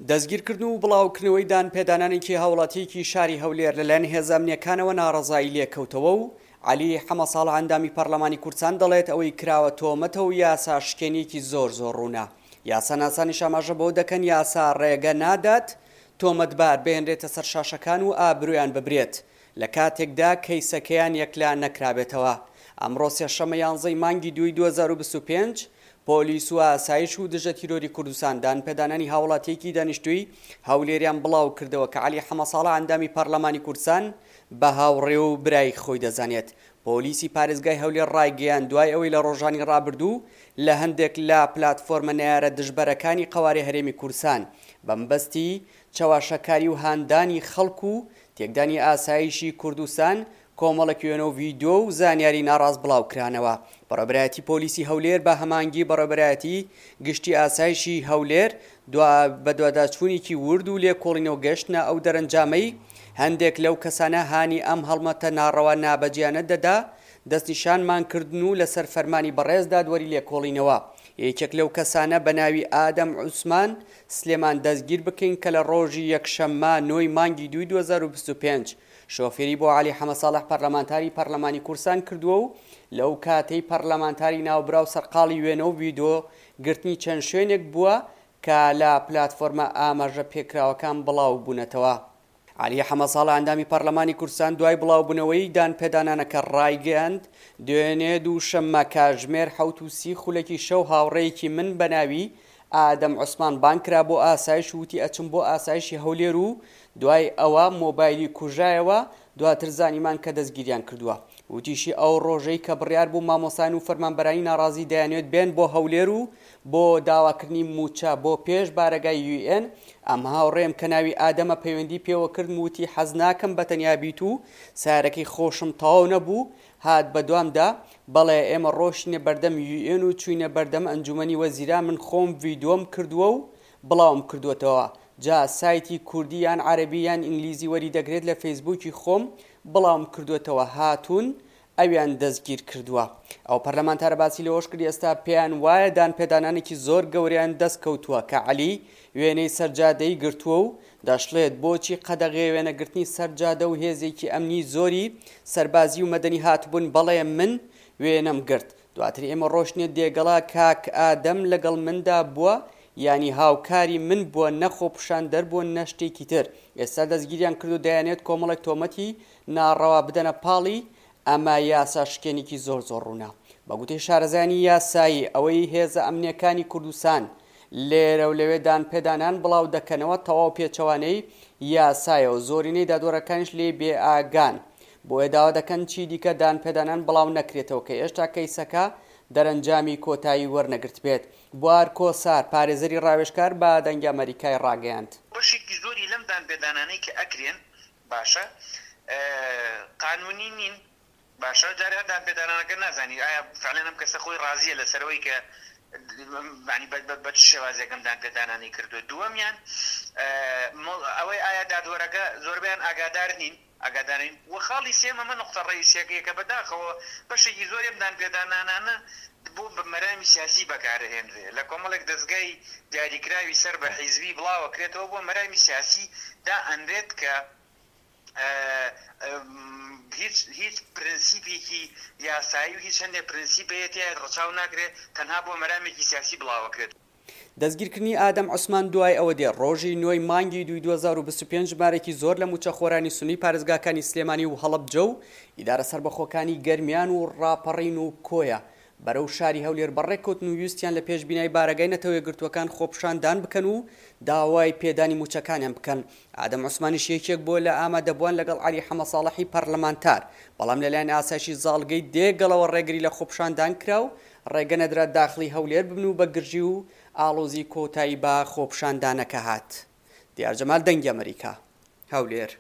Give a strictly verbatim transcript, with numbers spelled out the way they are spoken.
دەستگیرکردن و بڵاوکردنەوەی دانپێدانانێکی هاوڵاتییەکی شاری هەولێر لەلایەن هێزە ئەمنییەکانەوە ناڕەزایی لێکەوتەوە و عەلی حەمەساڵح ئەندامی پەرلەمانی کوردستان دەڵێت ئەوەی کراوە تۆمەتە و یاسا شکێنیەکی زۆر زۆر ڕوونە. یاساناسانیش ئاماژە بەوە دەکەن یاسا ڕێگە نادات تۆمەتبار بهێنرێتە سەر شاشەکان و ئابرویان ببرێت لە کاتێکدا کەیسەکەیان یەکلا نەکرابێتەوە. ئەمڕۆ سێشەممە یانزەی مانگی دووی دوو هەزار و بیست و پێنج پۆلیس و ئاسایش و دژە تیرۆری کوردستان دانپێدانانی هاوڵاتیەکی دانیشتووی هەولێریان بڵاو کردەوە کە عەلی حەمەساڵح ئەندامی پەرلەمانی کوردستان بە هاوڕێ و برای خۆی دەزانێت. پۆلیسی پارێزگای هەولێر ڕایگەیاند دوای ئەوەی لە ڕۆژانی ڕابردوو لە هەندێک لە پلاتفۆرمە نەیارە دژبەرەکانی قەوارەی هەرێمی کوردستان بەمبەستی چەواشەکاری و هاندانی خەڵک و تێکدانی ئاسایشی کوردستان کۆمەڵێک وێنە و ڤیدیۆ و زانیاری ناڕاست بڵاوکرانەوە. بەڕێوەبەرایەتی پۆلیسی هەولێر بە هەماهەنگی بەڕێوەبەرایەتی گشتی ئاسایشی هەولێر بەدواداچوونێکی ورد و لێکۆڵینەوە گەشتنە ئەو دەرەنجامەی هەندێک لەو کەسانە هانی ئەم هەڵمەتە ناڕەوا نابەجیانە دەدا دەستنیشانمان کردن و لەسەر فەرمانی بەڕێز دادوەری لێکۆڵینەوە یەکێک لەو کەسانە بە ناوی ئادەم عوسمان سلێمان دەستگیر بکەین کە لە ڕۆژی یەکشەممە نۆی مانگی دووی دوو هەزار و بیست و پێنج شۆفێری بۆ عەلی حەمەساڵح پەرلەمانتاری پەرلەمانی کوردستان کردووە و لەو کاتەی پەرلەمانتاری ناوبراو سەرقاڵی وێنە و ڤیدۆ گرتنی چەند شوێنێک بووە کە لە پلاتفۆرمە ئاماژە پێکراوەکان بڵاو بوونەتەوە. عەلی حەمەساڵح ئەندامی پەرلەمانی کوردستان دوای بڵاوبوونەوەی دانپێدانانەکە ڕایگەیاند، دوێنێ دووشەممە کاتژمێر حەوت و سی خولەکی شەو هاوڕێیەکی من بە ناوی ئادەم عوسمان بانگ کرا بۆ ئاسایش و وتی ئەچم بۆ ئاسایشی هەولێر و دوای ئەوە مۆبایلی کوژایەوە، دواتر زانیمان کە دەستگیریان کردووە. وتیشی ئەو ڕۆژەی کە بڕیار بوو مامۆستایان و فەرمانبەرانی ناڕازی دەیانوێت بێن بۆ هەولێر و بۆ داواکردنی مووچە بۆ پێش بارەگای یو ئێن، ئەم هاوڕێم کە ناوی ئادەمە پەیوەندی پێوە کردم وتی حەز ناکەم بەتەنیا بیت و سارەکەی خۆشم تەواو نەبوو هات بەدوامدا، بەڵێ ئێمە ڕۆشتینە بەردەم یو ئێن و چوینە بەردەم ئەنجومەنی وەزیران، من خۆم ڤیدیۆم کردووە و بڵاوم کردووەتەوە، جا سایتی کوردی یان عەرەبی یان ئینگلیزی وەری دەگرێت لە فەیسبووکی خۆم بڵاوم کردووەتەوە، هاتوون ئەویان دەستگیر کردووە. ئەو پەرلەمانتارە باسی لەوەش کرد ئێستا پێیان وایە دانپێدانانێکی زۆر گەورەیان دەست کەوتووە کە عەلی وێنەی سەرجادەی گرتووە و دەشڵێت بۆچی قەدەغەیە وێنەگرتنی سەرجادە و هێزێکی ئەمنی زۆری سەربازی و مەدەنی هاتبوون، بەڵێ من وێنەم گرت. دواتر ئێمە ڕۆشتنە دێگەڵا کاک ئادەم لەگەڵ مندا بووە، یانی هاوکاری من بووە، نە خۆپیشاندەر بووە نە شتێکی تر. ئێستا دەستگیریان کرد و دەیانێت کۆمەڵێک تۆمەتی ناڕەوا بدەنە پاڵی، ئەمە یاسا شکێنێکی زۆر زۆر ڕوونە. بە گوتەی شارەزایانی یاسایی ئەوەی هێزە ئەمنیەکانی کوردستان لێرە و لەوێ دانپێدانان بڵاو دەکەنەوە تەواو پێچەوانەی یاسایە و زۆرینەی دادوەرەکانیش لێی بێئاگان، بۆیە داوا دەکەن چی دیکە دانپێدانان بڵاو نەکرێتەوە کە هێشتا کەیسەکە دەرەنجامی کۆتایی وەرنەگرت بێت. بوار کۆسار پارێزەری ڕاوێژکار بە دەنگی ئەمەریکای ڕاگەیاند. بەشێکی زۆری لەم دانپێدانانەی کە ئەکرێن باشە قانونی نین، باشە جارێ هەر دانپێدانانەکە نازانی ئایا فعلەن ئەم کەسە خۆی ڕازیە لەسەرەوەی کە یعنی بە چ شێوازێک ئەم دانپێدانانەی کردووە. دووەمیان ئەوەی ئایا دادوەرەکە زۆربەیان ئاگادار نین ئاگادارین و خاڵی سێم ئەمە نقطە ڕئیسیەکەیە کە بەداخەوە بەشێکی زۆری ئەم دانپێدانانانە بۆ مەرامی سیاسی بەکارهێنرێ لە کۆمەڵێک دەستگای دیاریکراوی سەر بە حیزبی بڵاوەکرێتەوە بۆ مەرامی سیاسی دا ئەنرێت کە هیچ هیچ پرنسیپێکی یاسایی و هیچ هەندێک پرنسیپەیە تیایە ڕەچاو ناکرێت، تەنها بۆ مەرامێکی سیاسی بڵاوەکرێت. دەستگیرکردنی ئادەم عوسمان دوای ئەوە دێت ڕۆژی نۆی مانگی دووی دوو هەزار و بیست و پێنج ژمارەیەکی زۆر لە مووچەخۆرانی سوننی پارێزگاکانی سلێمانی و هەڵەبجە و ئیدارە سەربەخۆکانی گەرمیان و ڕاپەڕین و کۆیە بەرەو شاری هەولێر بەڕێککەوتن و ویستیان لە پێش بینای بارەگای نەتەوە یەکگرتووەکان خۆپیشاندان بکەن و داوای پێدانی مووچەکانیان بکەن. ئادەم عوسمانیش یەکێک بووە لە ئامادەبووان لەگەڵ عەلی حەمەساڵحی پەرلەمانتار، بەڵام لەلایەن ئاسایشی زاڵگەی دێگەڵەوە ڕێگری لە خۆپیشاندان کرا و ڕێگە نەدرا داخلی هەولێر ببن و بە گرژی و ئاڵۆزی کۆتایی بە خۆپیشاندانەکە هات. دیار جەمال، دەنگی ئەمریکا، هەولێر.